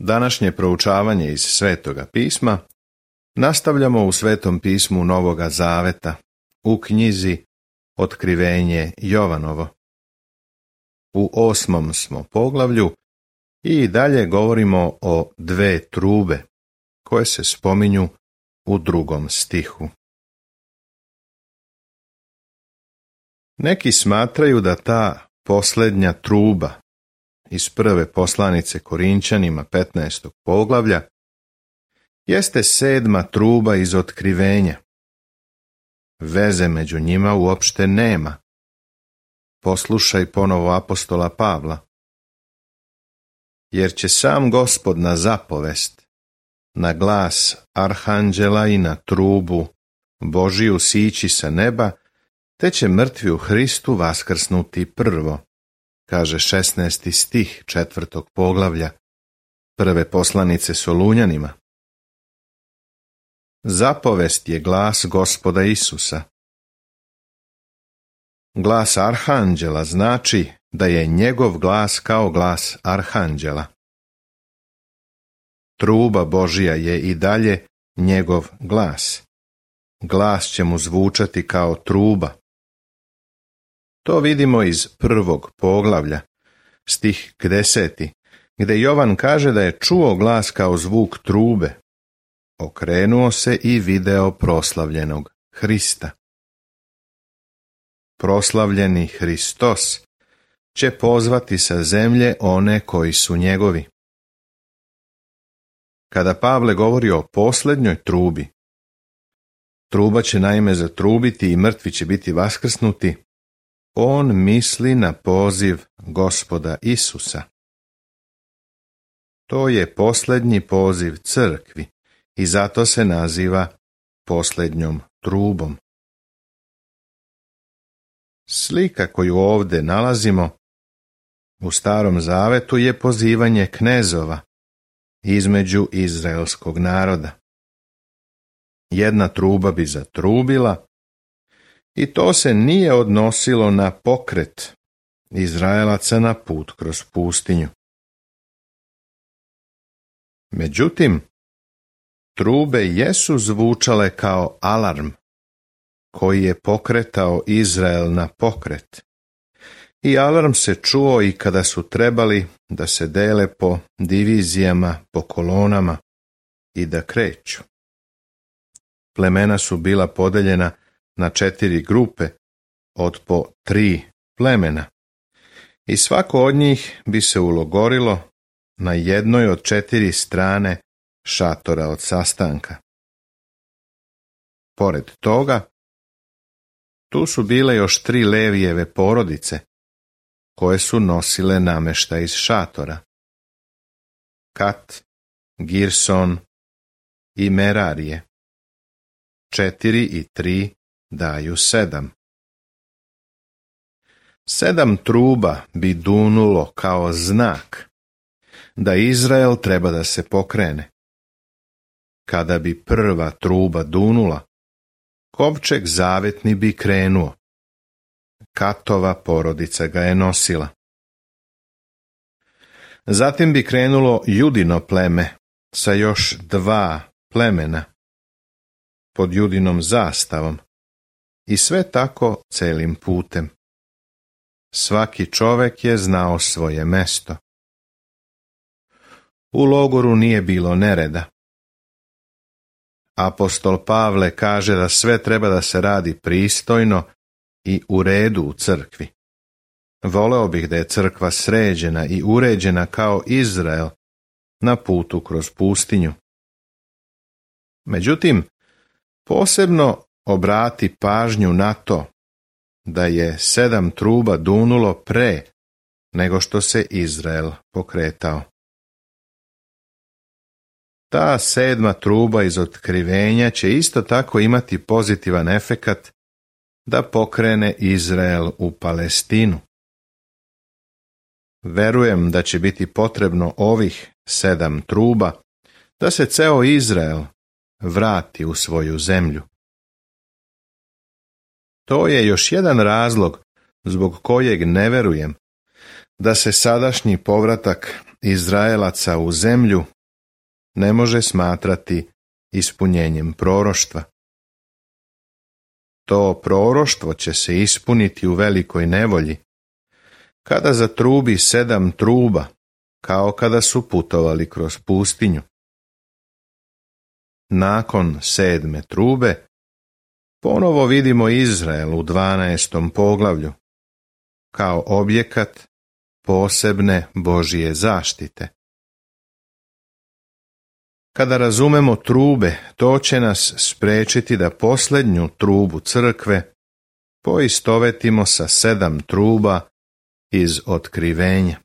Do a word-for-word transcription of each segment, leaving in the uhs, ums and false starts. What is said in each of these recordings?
Današnje proučavanje iz Svetoga pisma nastavljamo u Svetom pismu Novoga Zaveta, u knjizi Otkrivenje Jovanovo. U osmom smo poglavlju i dalje govorimo o dve trube, koje se spominju u drugom stihu. Neki smatraju da ta posljednja truba iz prve poslanice Korinćanima petnaestog poglavlja jeste sedma truba iz Otkrivenja. Veze među njima uopšte nema. Poslušaj ponovo apostola Pavla. Jer će sam Gospod na zapovest, na glas arhanđela i na trubu Božiju sići sa neba, te će mrtvi u Hristu vaskrsnuti prvo, kaže šesnaesti stih četvrtog poglavlja prve poslanice Solunjanima. Zapovest je glas Gospoda Isusa. Glas arhanđela znači da je njegov glas kao glas arhanđela. Truba Božija je i dalje njegov glas. Glas će mu zvučati kao truba. To vidimo iz prvog poglavlja, stih deseti, gdje Jovan kaže da je čuo glas kao zvuk trube. Okrenuo se i video proslavljenog Hrista. Proslavljeni Hristos će pozvati sa zemlje one koji su njegovi. Kada Pavle govori o posljednjoj trubi, truba će naime zatrubiti i mrtvi će biti vaskrsnuti, on misli na poziv Gospoda Isusa. To je posljednji poziv crkvi i zato se naziva posljednjom trubom. Slika koju ovdje nalazimo u Starom Zavetu je pozivanje knezova između izraelskog naroda. Jedna truba bi zatrubila i to se nije odnosilo na pokret Izraelaca na put kroz pustinju. Međutim, trube jesu zvučale kao alarm koji je pokretao Izrael na pokret. I alarm se čuo i kada su trebali da se dele po divizijama, po kolonama i da kreću. Plemena su bila podeljena na četiri grupe od po tri plemena i svako od njih bi se ulogorilo na jednoj od četiri strane šatora od sastanka. Pored toga, tu su bile još tri Levijeve porodice, koje su nosile namještaj iz šatora. Kat, Girson i Merarije. Četiri i tri daju sedam. Sedam truba bi dunulo kao znak da Izrael treba da se pokrene. Kada bi prva truba dunula, kovčeg zavetni bi krenuo. Katova porodica ga je nosila. Zatim bi krenulo Judino pleme sa još dva plemena pod Judinom zastavom i sve tako celim putem. Svaki čovek je znao svoje mesto. U logoru nije bilo nereda. Apostol Pavle kaže da sve treba da se radi pristojno i u redu u crkvi. Voleo bih da je crkva sređena i uređena kao Izrael na putu kroz pustinju. Međutim, posebno obrati pažnju na to da je sedam truba dunulo pre nego što se Izrael pokretao. Ta sedma truba iz Otkrivenja će isto tako imati pozitivan efekat da pokrene Izrael u Palestinu. Verujem da će biti potrebno ovih sedam truba da se ceo Izrael vrati u svoju zemlju. To je još jedan razlog zbog kojeg ne verujem da se sadašnji povratak Izraelaca u zemlju ne može smatrati ispunjenjem proroštva. To proroštvo će se ispuniti u velikoj nevolji, kada zatrubi sedam truba, kao kada su putovali kroz pustinju. Nakon sedme trube, ponovo vidimo Izrael u dvanaestom poglavlju, kao objekat posebne Božije zaštite. Kada razumemo trube, to će nas spriječiti da posljednju trubu crkve poistovetimo sa sedam truba iz Otkrivenja.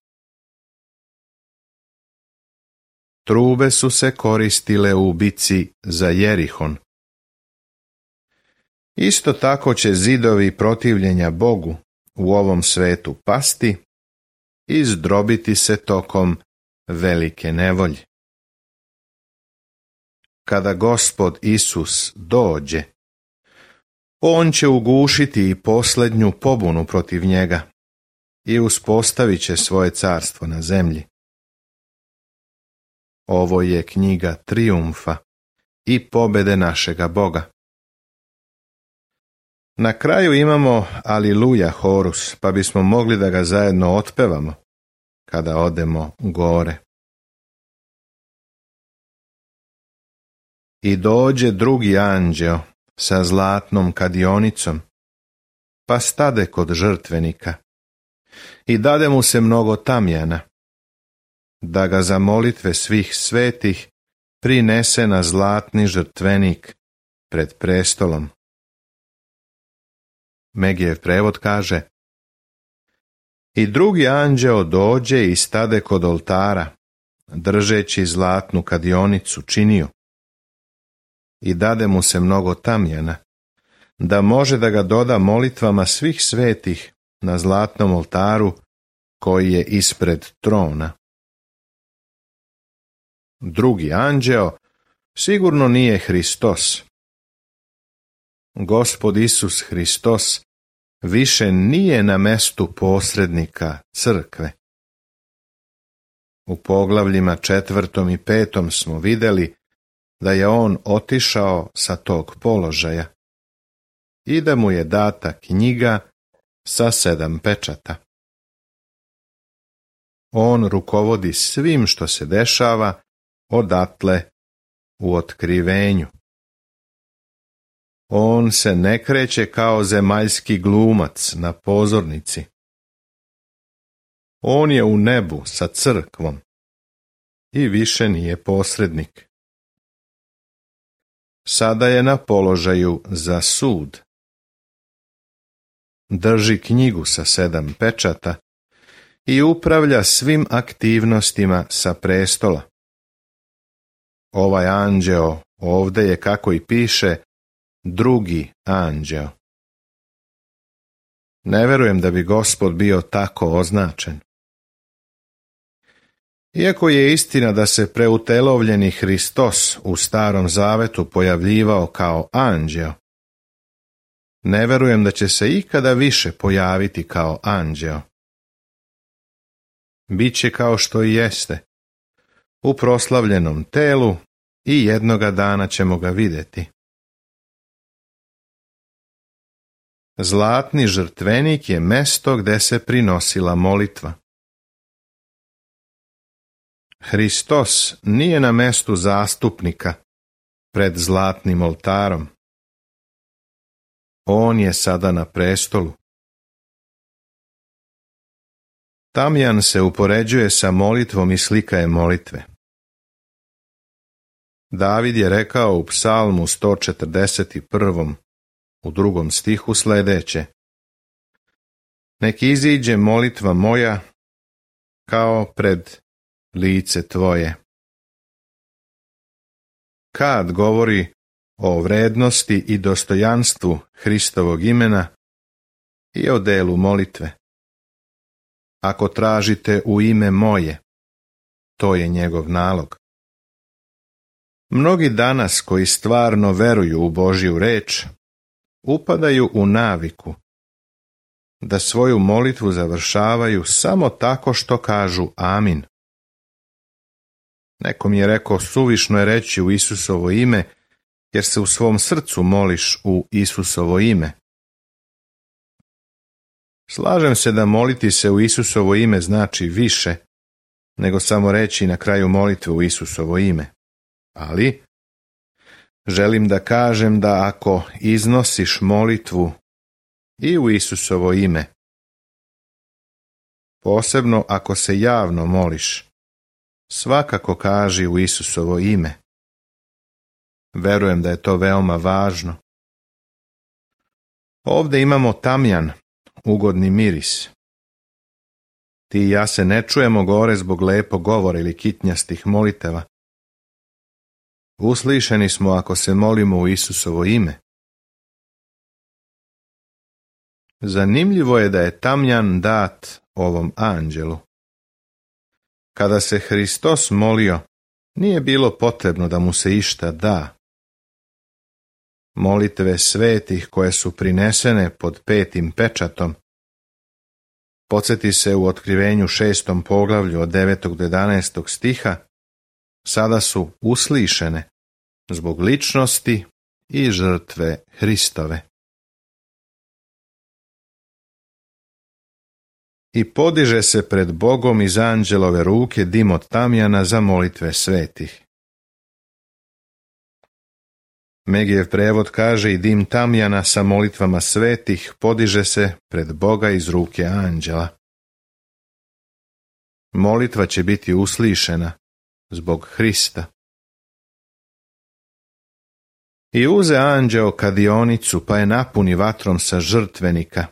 Trube su se koristile u bici za Jerihon. Isto tako će zidovi protivljenja Bogu u ovom svetu pasti i zdrobiti se tokom velike nevolje. Kada Gospod Isus dođe, on će ugušiti i posljednju pobunu protiv njega i uspostavit će svoje carstvo na zemlji. Ovo je knjiga trijumfa i pobjede našega Boga. Na kraju imamo Aliluja horus, pa bismo mogli da ga zajedno otpevamo kada odemo gore. I dođe drugi anđeo sa zlatnom kadionicom, pa stade kod žrtvenika i dade mu se mnogo tamjana, da ga za molitve svih svetih prinese na zlatni žrtvenik pred prestolom. Megijev prevod kaže: I drugi anđeo dođe i stade kod oltara, držeći zlatnu kadionicu činio, i dade mu se mnogo tamjana, da može da ga doda molitvama svih svetih na zlatnom oltaru koji je ispred trona. Drugi anđeo sigurno nije Hristos. Gospod Isus Hristos više nije na mestu posrednika crkve. U poglavljima četvrtom i petom smo vidjeli da je on otišao sa tog položaja i da mu je data knjiga sa sedam pečata. On rukovodi svim što se dešava odatle u otkrivenju. On se ne kreće kao zemaljski glumac na pozornici. On je u nebu sa crkvom i više nije posrednik. Sada je na položaju za sud. Drži knjigu sa sedam pečata i upravlja svim aktivnostima sa prestola. Ovaj anđeo ovdje je, kako i piše, drugi anđeo. Ne verujem da bi Gospod bio tako označen. Iako je istina da se preutelovljeni Hristos u Starom Zavetu pojavljivao kao anđeo, ne verujem da će se ikada više pojaviti kao anđeo. Biće kao što i jeste, u proslavljenom telu, i jednoga dana ćemo ga vidjeti. Zlatni žrtvenik je mesto gdje se prinosila molitva. Hristos nije na mestu zastupnika pred zlatnim oltarom. On je sada na prestolu. Tamjan se upoređuje sa molitvom i slika je molitve. David je rekao u psalmu sto četrdeset jedan. u drugom stihu sljedeće: Nek iziđe molitva moja kao pred lice tvoje. Kad govori o vrednosti i dostojanstvu Hristovog imena i o delu molitve. Ako tražite u ime moje, to je njegov nalog. Mnogi danas koji stvarno veruju u Božju reč, upadaju u naviku da svoju molitvu završavaju samo tako što kažu amin. Neko mi je rekao, suvišno je reći u Isusovo ime, jer se u svom srcu moliš u Isusovo ime. Slažem se da moliti se u Isusovo ime znači više, nego samo reći na kraju molitve u Isusovo ime. Ali želim da kažem da ako iznosiš molitvu i u Isusovo ime, posebno ako se javno moliš, svakako kaži u Isusovo ime. Verujem da je to veoma važno. Ovdje imamo tamjan, ugodni miris. Ti i ja se ne čujemo gore zbog lepog govora ili kitnjastih moliteva. Uslišeni smo ako se molimo u Isusovo ime. Zanimljivo je da je tamjan dat ovom anđelu. Kada se Hristos molio, nije bilo potrebno da mu se išta da. Molitve svetih koje su prinesene pod petim pečatom, podsjeti se u Otkrivenju šestom poglavlju od devetog do jedanaestog stiha, sada su uslišene zbog ličnosti i žrtve Hristove. I podiže se pred Bogom iz anđelove ruke dim od tamjana za molitve svetih. Megijev prevod kaže i dim tamjana sa molitvama svetih podiže se pred Boga iz ruke anđela. Molitva će biti uslišena zbog Hrista. I uze anđeo kadionicu pa je napuni vatrom sa žrtvenika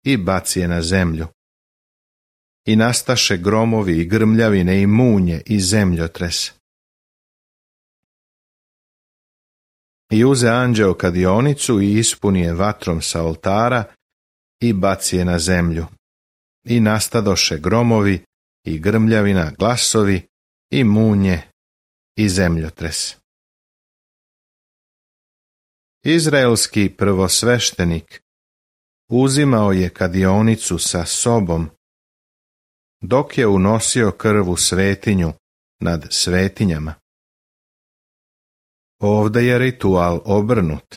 i baci je na zemlju. I nastaše gromovi i grmljavine i munje i zemljotres. I uze anđeo kadionicu i ispuni je vatrom sa oltara i baci je na zemlju. I nastadoše gromovi i grmljavina, glasovi i munje i zemljotres. Izraelski prvosveštenik uzimao je kadionicu sa sobom, dok je unosio krv u svetinju nad svetinjama. Ovdje je ritual obrnut,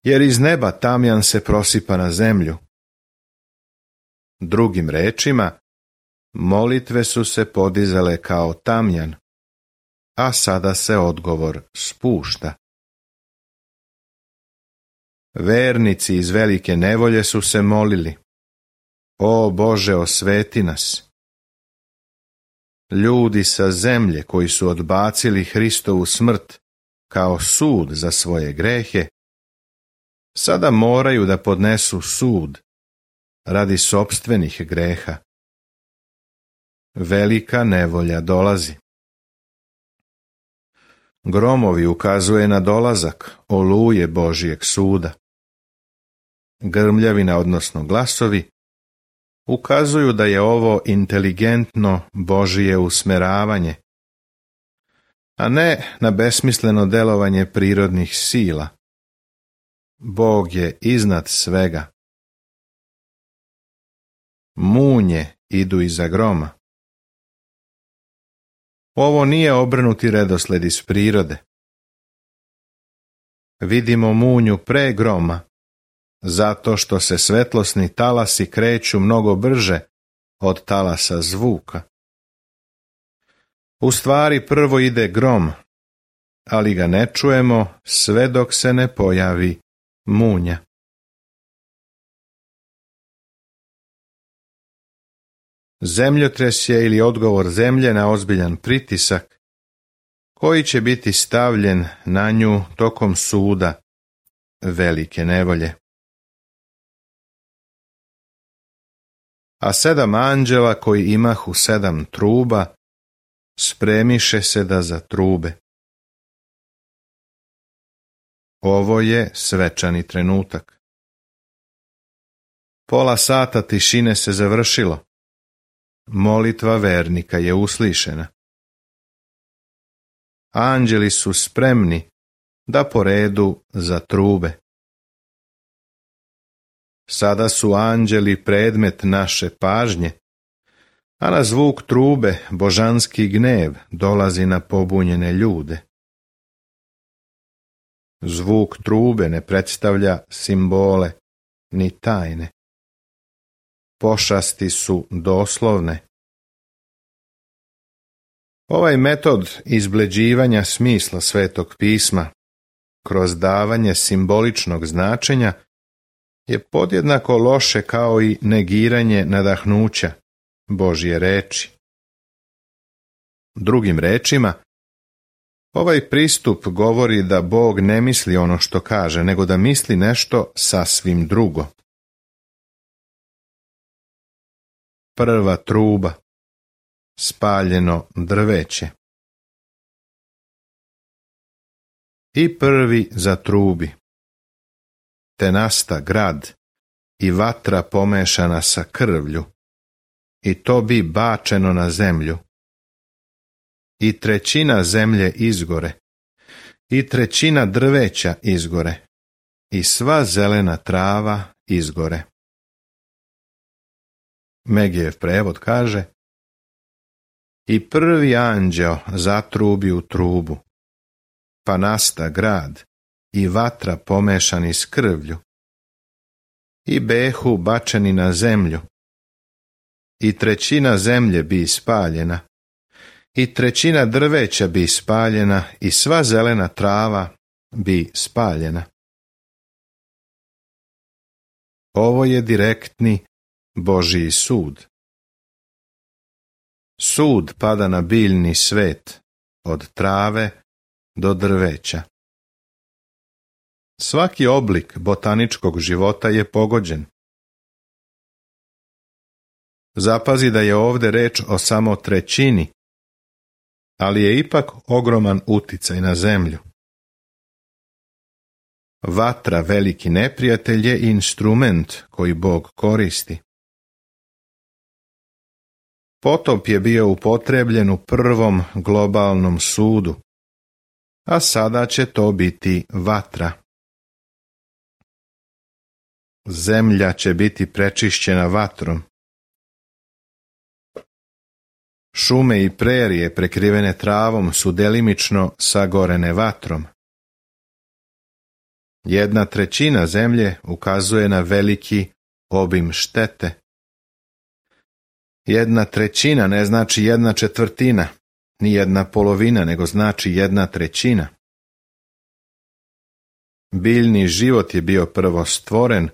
jer iz neba tamjan se prosipa na zemlju. Drugim rečima, molitve su se podizale kao tamjan, a sada se odgovor spušta. Vernici iz velike nevolje su se molili: O Bože, osveti nas. Ljudi sa zemlje koji su odbacili Hristovu smrt kao sud za svoje grehe, sada moraju da podnesu sud radi sopstvenih greha. Velika nevolja dolazi. Gromovi ukazuje na dolazak oluje Božijeg suda. Grmljavina, odnosno glasovi, ukazuju da je ovo inteligentno Božije usmeravanje, a ne na besmisleno delovanje prirodnih sila. Bog je iznad svega. Munje idu iza groma. Ovo nije obrnuti redosled iz prirode. Vidimo munju pre groma, zato što se svetlosni talasi kreću mnogo brže od talasa zvuka. U stvari prvo ide grom, ali ga ne čujemo sve dok se ne pojavi munja. Zemljotres je ili odgovor zemlje na ozbiljan pritisak, koji će biti stavljen na nju tokom suda velike nevolje. A sedam anđela koji imahu sedam truba, spremiše se da zatrube. Ovo je svečani trenutak. Pola sata tišine se završilo. Molitva vernika je uslišena. Anđeli su spremni da po redu zatrube. Sada su anđeli predmet naše pažnje, a na zvuk trube božanski gnev dolazi na pobunjene ljude. Zvuk trube ne predstavlja simbole ni tajne. Pošasti su doslovne. Ovaj metod izbleđivanja smisla Svetog pisma kroz davanje simboličnog značenja je podjednako loše kao i negiranje nadahnuća Božje reči. Drugim rečima, ovaj pristup govori da Bog ne misli ono što kaže, nego da misli nešto sasvim drugo. Prva truba, spaljeno drveće. I prvi zatrubi, te nasta grad i vatra pomešana sa krvlju, i to bi bačeno na zemlju. I trećina zemlje izgore, i trećina drveća izgore, i sva zelena trava izgore. Megijev prevod kaže: I prvi anđeo zatrubi u trubu, pa nasta grad i vatra pomešani s krvlju, i behu bačeni na zemlju, i trećina zemlje bi ispaljena, i trećina drveća bi ispaljena, i sva zelena trava bi spaljena. Ovo je direktni Božji sud. Sud pada na biljni svet, od trave do drveća. Svaki oblik botaničkog života je pogođen. Zapazi da je ovdje reč o samo trećini, ali je ipak ogroman uticaj na zemlju. Vatra, veliki neprijatelj, je instrument koji Bog koristi. Potop je bio upotrebljen u prvom globalnom sudu, a sada će to biti vatra. Zemlja će biti prečišćena vatrom. Šume i prerije prekrivene travom su delimično sagorene vatrom. Jedna trećina zemlje ukazuje na veliki obim štete. Jedna trećina ne znači jedna četvrtina, ni jedna polovina, nego znači jedna trećina. Biljni život je bio prvo stvoren,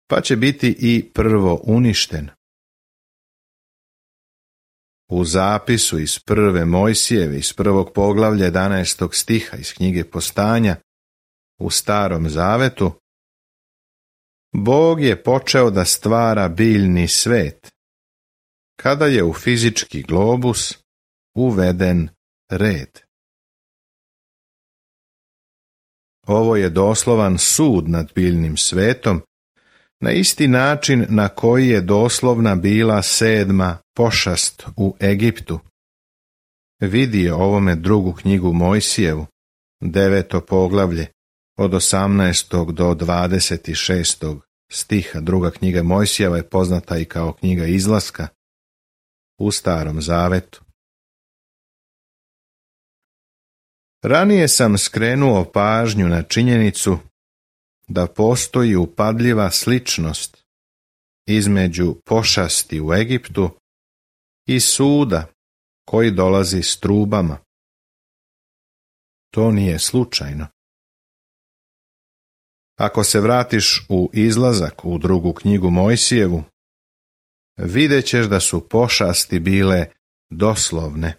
pa će biti i prvo uništen. U zapisu iz prve Mojsijeve, iz prvog poglavlja jedanaestog stiha iz knjige Postanja, u Starom Zavetu, Bog je počeo da stvara biljni svet, kada je u fizički globus uveden red. Ovo je doslovan sud nad biljnim svetom, na isti način na koji je doslovna bila sedma pošast u Egiptu. Vidi je ovome drugu knjigu Mojsijevu, deveto poglavlje, od osamnaestog do dvadeset šestog stiha. Druga knjiga Mojsijeva je poznata i kao knjiga Izlaska u Starom Zavetu. Ranije sam skrenuo pažnju na činjenicu da postoji upadljiva sličnost između pošasti u Egiptu i suda koji dolazi s trubama. To nije slučajno. Ako se vratiš u Izlazak, u drugu knjigu Mojsijevu, vidjet ćeš da su pošasti bile doslovne.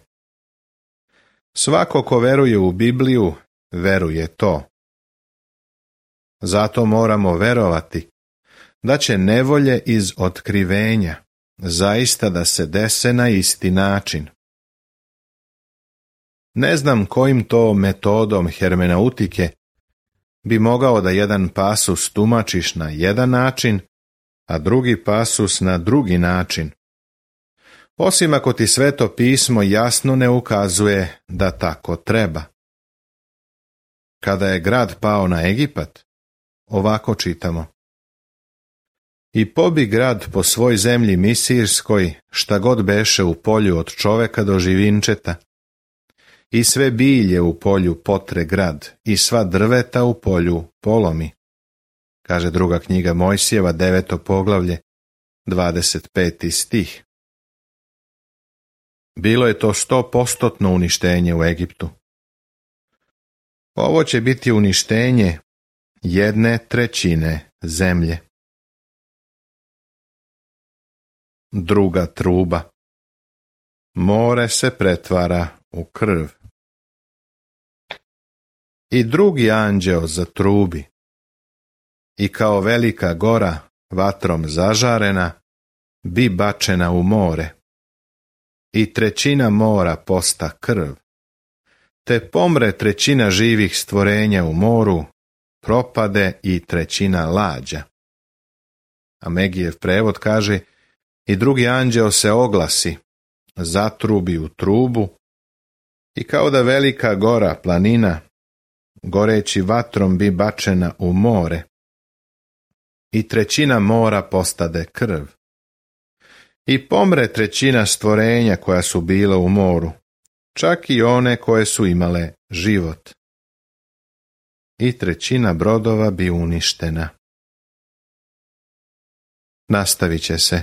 Svako ko veruje u Bibliju, veruje to. Zato moramo verovati da će nevolje iz otkrivenja zaista da se dese na isti način. Ne znam kojim to metodom hermeneutike bi mogao da jedan pasus tumačiš na jedan način, a drugi pasus na drugi način, osim ako ti Sveto pismo jasno ne ukazuje da tako treba. Kada je grad pao na Egipat, ovako čitamo: I pobi grad po svoj zemlji misirskoj, šta god beše u polju od čoveka do živinčeta. I sve bilje u polju potre grad, i sva drveta u polju polomi. Kaže druga knjiga Mojsijeva, deveto poglavlje, dvadeset peti stih. Bilo je to stopostotno uništenje u Egiptu. Ovo će biti uništenje jedne trećine zemlje. Druga truba. More se pretvara u krv. I drugi anđeo zatrubi. I kao velika gora, vatrom zažarena, bi bačena u more. I trećina mora posta krv. Te pomre trećina živih stvorenja u moru, propade i trećina lađa. A Megijev prevod kaže, i drugi anđeo se oglasi, zatrubi u trubu, i kao da velika gora, planina, goreći vatrom bi bačena u more, i trećina mora postade krv. I pomre trećina stvorenja koja su bila u moru, čak i one koje su imale život. I trećina brodova bi uništena. Nastavit će se